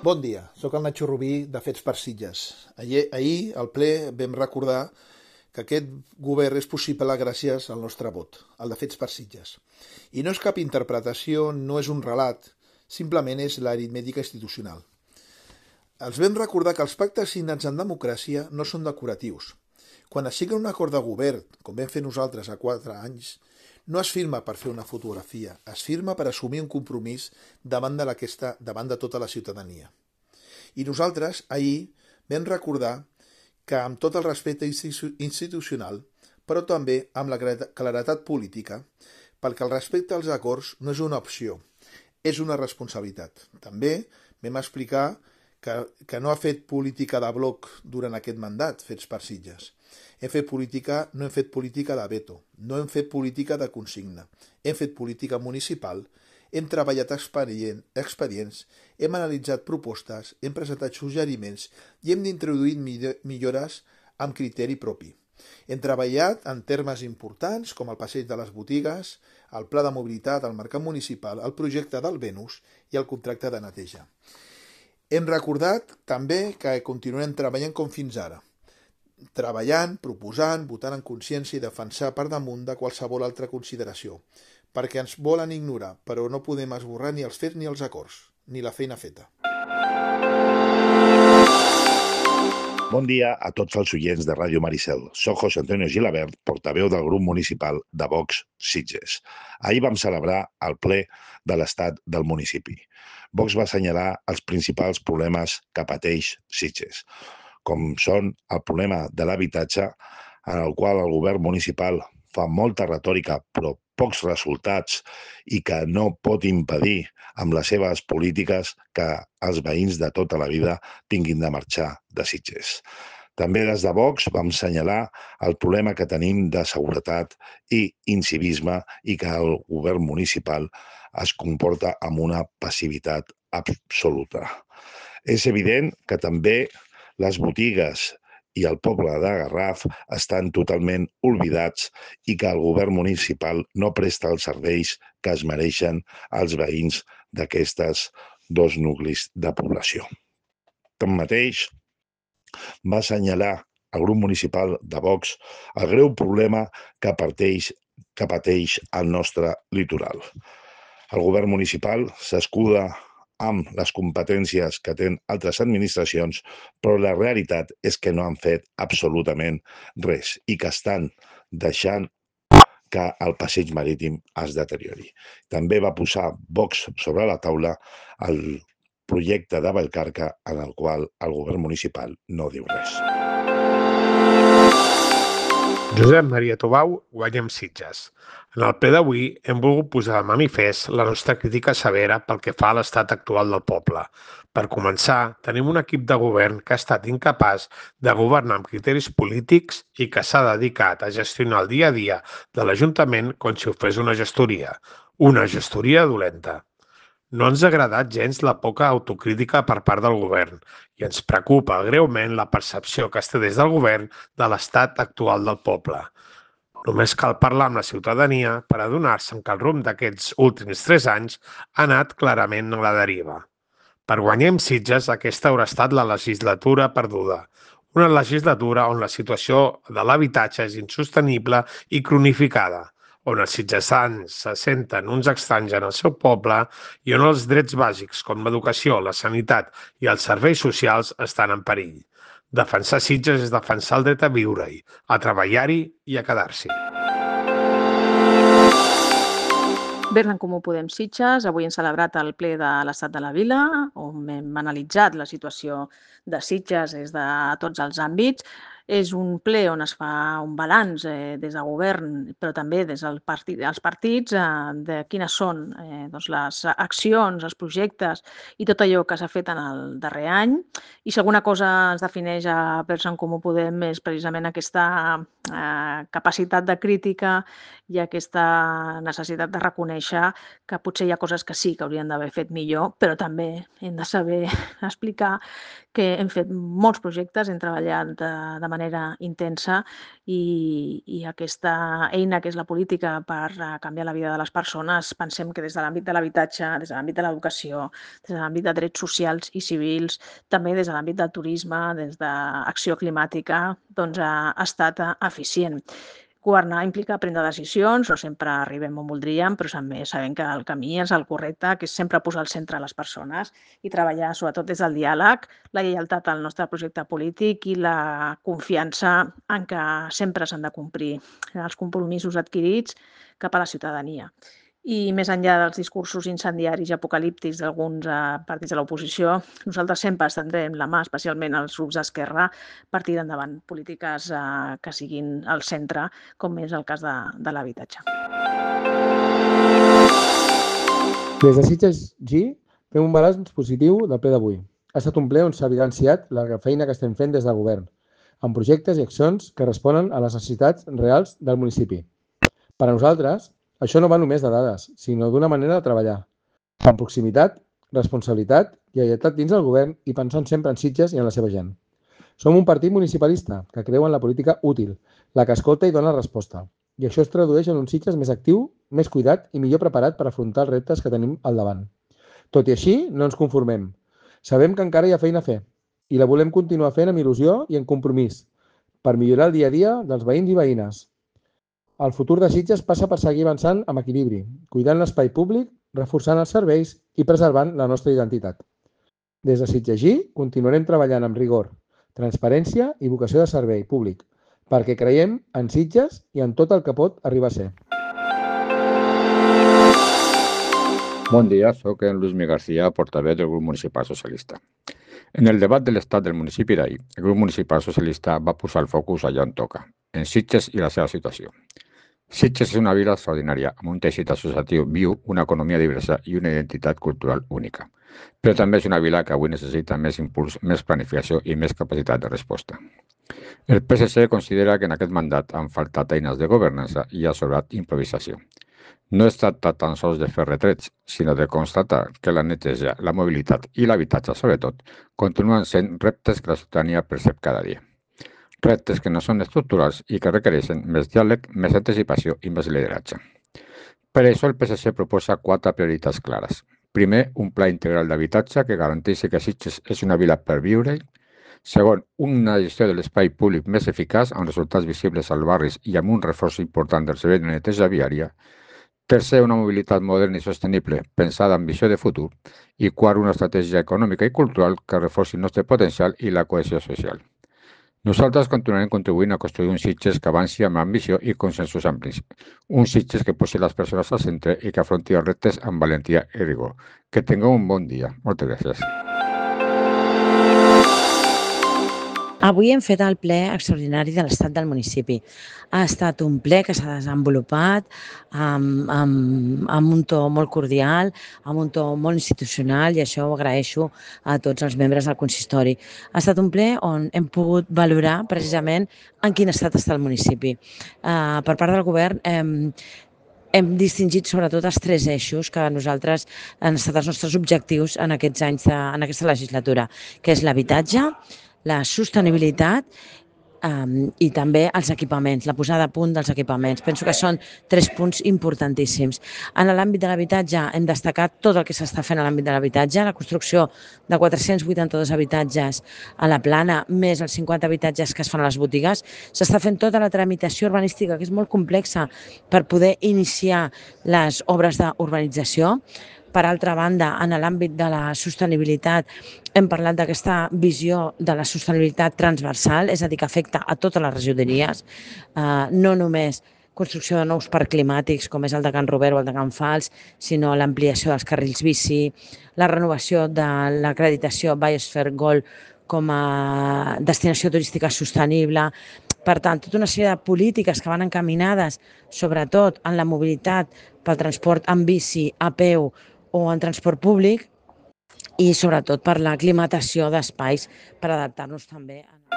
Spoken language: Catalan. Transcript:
Bon dia, sóc el Nacho Rubí de Fets per Sitges. Ahir al ple vam recordar que aquest govern és possible gràcies al nostre vot, el de Fets per Sitges. I no és cap interpretació, no és un relat, simplement és l'aritmètica institucional. Els vam recordar que els pactes signats en democràcia no són decoratius. Quan es signa un acord de govern, com vam fer nosaltres a 4 anys, no es firma per fer una fotografia, es firma per assumir un compromís davant de tota la ciutadania. I nosaltres ahir vam recordar que amb tot el respecte institucional, però també amb la claredat política, perquè el respecte als acords no és una opció, és una responsabilitat. També vam explicar que no ha fet política de bloc durant aquest mandat, Fets per Sitges. No hem fet política de veto, no hem fet política de consigna, hem fet política municipal, hem treballat expedients, hem analitzat propostes, hem presentat suggeriments i hem d'introduir millores amb criteri propi. Hem treballat en termes importants com el passeig de les botigues, el pla de mobilitat, el mercat municipal, el projecte del Venus i el contracte de neteja. Hem recordat també que continuarem treballant com fins ara, treballant, proposant, votant en consciència i defensar per damunt de qualsevol altra consideració, perquè ens volen ignorar, però no podem esborrar ni els fets ni els acords, ni la feina feta. Bon dia a tots els oients de Ràdio Maricel. Soc José Antonio Gilabert, portaveu del grup municipal de Vox Sitges. Ahir vam celebrar el ple de l'estat del municipi. Vox va assenyalar els principals problemes que pateix Sitges, com són el problema de l'habitatge, en el qual el govern municipal fa molta retòrica però pocs resultats i que no pot impedir amb les seves polítiques que els veïns de tota la vida tinguin de marxar de Sitges. També des de Vox vam assenyalar el problema que tenim de seguretat i incivisme i que el govern municipal es comporta amb una passivitat absoluta. És evident que també les botigues i el poble de Garraf estan totalment oblidats i que el govern municipal no presta els serveis que es mereixen als veïns d'aquestes dos nuclis de població. Tanmateix, va assenyalar el grup municipal de Vox el greu problema que pateix el nostre litoral. El govern municipal s'escuda amb les competències que tenen altres administracions, però la realitat és que no han fet absolutament res i que estan deixant que el passeig marítim es deteriori. També va posar Vox sobre la taula el projecte de Vallcarca en el qual el govern municipal no diu res. Josep Maria Tobau, Guanyem Sitges. En el ple d'avui hem volgut posar de manifest la nostra crítica severa pel que fa a l'estat actual del poble. Per començar, tenim un equip de govern que ha estat incapaç de governar amb criteris polítics i que s'ha dedicat a gestionar el dia a dia de l'Ajuntament com si ho fes una gestoria dolenta. No ens ha agradat gens la poca autocrítica per part del govern i ens preocupa greument la percepció que es té des del govern de l'estat actual del poble. Només cal parlar amb la ciutadania per adonar-se que el rumb d'aquests últims 3 anys ha anat clarament a la deriva. Per Guanyem Sitges, aquesta haurà estat la legislatura perduda. Una legislatura on la situació de l'habitatge és insostenible i cronificada, on els sitgesans se senten uns estranys en el seu poble i on els drets bàsics com l'educació, la sanitat i els serveis socials estan en perill. Defensar Sitges és defensar el dret a viure-hi, a treballar-hi i a quedar-s'hi. Bé, en Comú Podem Sitges, avui hem celebrat el ple de l'Estat de la Vila, on hem analitzat la situació de Sitges des de tots els àmbits. És un ple on es fa un balanç des del govern, però també des dels partits, de quines són les accions, els projectes i tot allò que s'ha fet en el darrer any. I si alguna cosa ens defineix a Verds en Comú Podem és precisament aquesta capacitat de crítica hi ha aquesta necessitat de reconèixer que potser hi ha coses que sí que haurien d'haver fet millor, però també hem de saber explicar que hem fet molts projectes, hem treballat de manera intensa i aquesta eina que és la política per canviar la vida de les persones, pensem que des de l'àmbit de l'habitatge, des de l'àmbit de l'educació, des de l'àmbit de drets socials i civils, també des de l'àmbit del turisme, des d'acció climàtica, doncs ha estat eficient. Governar implica prendre decisions, no sempre arribem on voldríem, però també sabem que el camí és el correcte, que és sempre posar al centre les persones i treballar sobretot des del diàleg, la lleialtat al nostre projecte polític i la confiança en que sempre s'han de complir els compromisos adquirits cap a la ciutadania. I més enllà dels discursos incendiaris i apocalíptics d'alguns partits de l'oposició, nosaltres sempre estendrem la mà, especialment als grups d'Esquerra, per tirar endavant polítiques que siguin al centre, com és el cas de l'habitatge. Des de Sitges G fem un balanç positiu del ple d'avui. Ha estat un ple on s'ha evidenciat la feina que estem fent des del govern, amb projectes i accions que responen a les necessitats reals del municipi. Per a nosaltres, això no va només de dades, sinó d'una manera de treballar, amb proximitat, responsabilitat i lleialtat dins del govern i pensant sempre en Sitges i en la seva gent. Som un partit municipalista que creu en la política útil, la que escolta i dona resposta. I això es tradueix en un Sitges més actiu, més cuidat i millor preparat per afrontar els reptes que tenim al davant. Tot i així, no ens conformem. Sabem que encara hi ha feina a fer i la volem continuar fent amb il·lusió i en compromís per millorar el dia a dia dels veïns i veïnes. El futur de Sitges passa per seguir avançant amb equilibri, cuidant l'espai públic, reforçant els serveis i preservant la nostra identitat. Des de Sitges G continuarem treballant amb rigor, transparència i vocació de servei públic, perquè creiem en Sitges i en tot el que pot arribar a ser. Bon dia, soc en Luis Miguel García, portaveu del grup municipal socialista. En el debat de l'estat del municipi d'ahir, el grup municipal socialista va posar el focus allà on toca, en Sitges i la seva situació. Sitges és una vila extraordinària, amb un teixit associatiu viu, una economia diversa i una identitat cultural única. Però també és una vila que avui necessita més impuls, més planificació i més capacitat de resposta. El PSC considera que en aquest mandat han faltat eines de governança i ha sobrat improvisació. No es tracta tan sols de fer retrets, sinó de constatar que la neteja, la mobilitat i l'habitatge, sobretot, continuen sent reptes que la ciutadania percep cada dia. Reptes que no són estructurals i que requereixen més diàleg, més anticipació i més lideratge. Per això el PSC proposa 4 prioritats clares. Primer, un pla integral d'habitatge que garanteixi que Sitges és una vila per viure-hi. Segon, una gestió de l'espai públic més eficaç amb resultats visibles als barris i amb un reforç important del servei de neteja viària. Tercer, una mobilitat moderna i sostenible pensada amb visió de futur. I quart, una estratègia econòmica i cultural que reforci el nostre potencial i la cohesió social. Nosaltres continuarem contribuint a construir un Sitges que avanci amb ambició i consensos amplis. Un Sitges que posi les persones al centre i que afronti els reptes amb valentia i rigor. Que tingueu un bon dia. Moltes gràcies. Avui hem fet el ple extraordinari de l'estat del municipi. Ha estat un ple que s'ha desenvolupat amb un to molt cordial, amb un to molt institucional i això ho agraeixo a tots els membres del consistori. Ha estat un ple on hem pogut valorar precisament en quin estat està el municipi. Per part del govern hem distingit sobretot els 3 eixos que nosaltres han estat els nostres objectius en aquests anys, en aquesta legislatura, que és l'habitatge, la sostenibilitat i també els equipaments, la posada a punt dels equipaments. Penso que són 3 punts importantíssims. En l'àmbit de l'habitatge hem destacat tot el que s'està fent a l'àmbit de l'habitatge, la construcció de 482 habitatges a la plana, més els 50 habitatges que es fan a les botigues. S'està fent tota la tramitació urbanística, que és molt complexa, per poder iniciar les obres d'urbanització. Per altra banda, en l'àmbit de la sostenibilitat, hem parlat d'aquesta visió de la sostenibilitat transversal, és a dir, que afecta a totes les regidories, no només construcció de nous parcs climàtics, com és el de Can Robert o el de Can Fals, sinó l'ampliació dels carrils bici, la renovació de l'acreditació Biosphere Gold com a destinació turística sostenible. Per tant, tota una sèrie de polítiques que van encaminades, sobretot en la mobilitat pel transport en bici, a peu o en transport públic, i sobretot per la climatació d'espais per adaptar-nos també a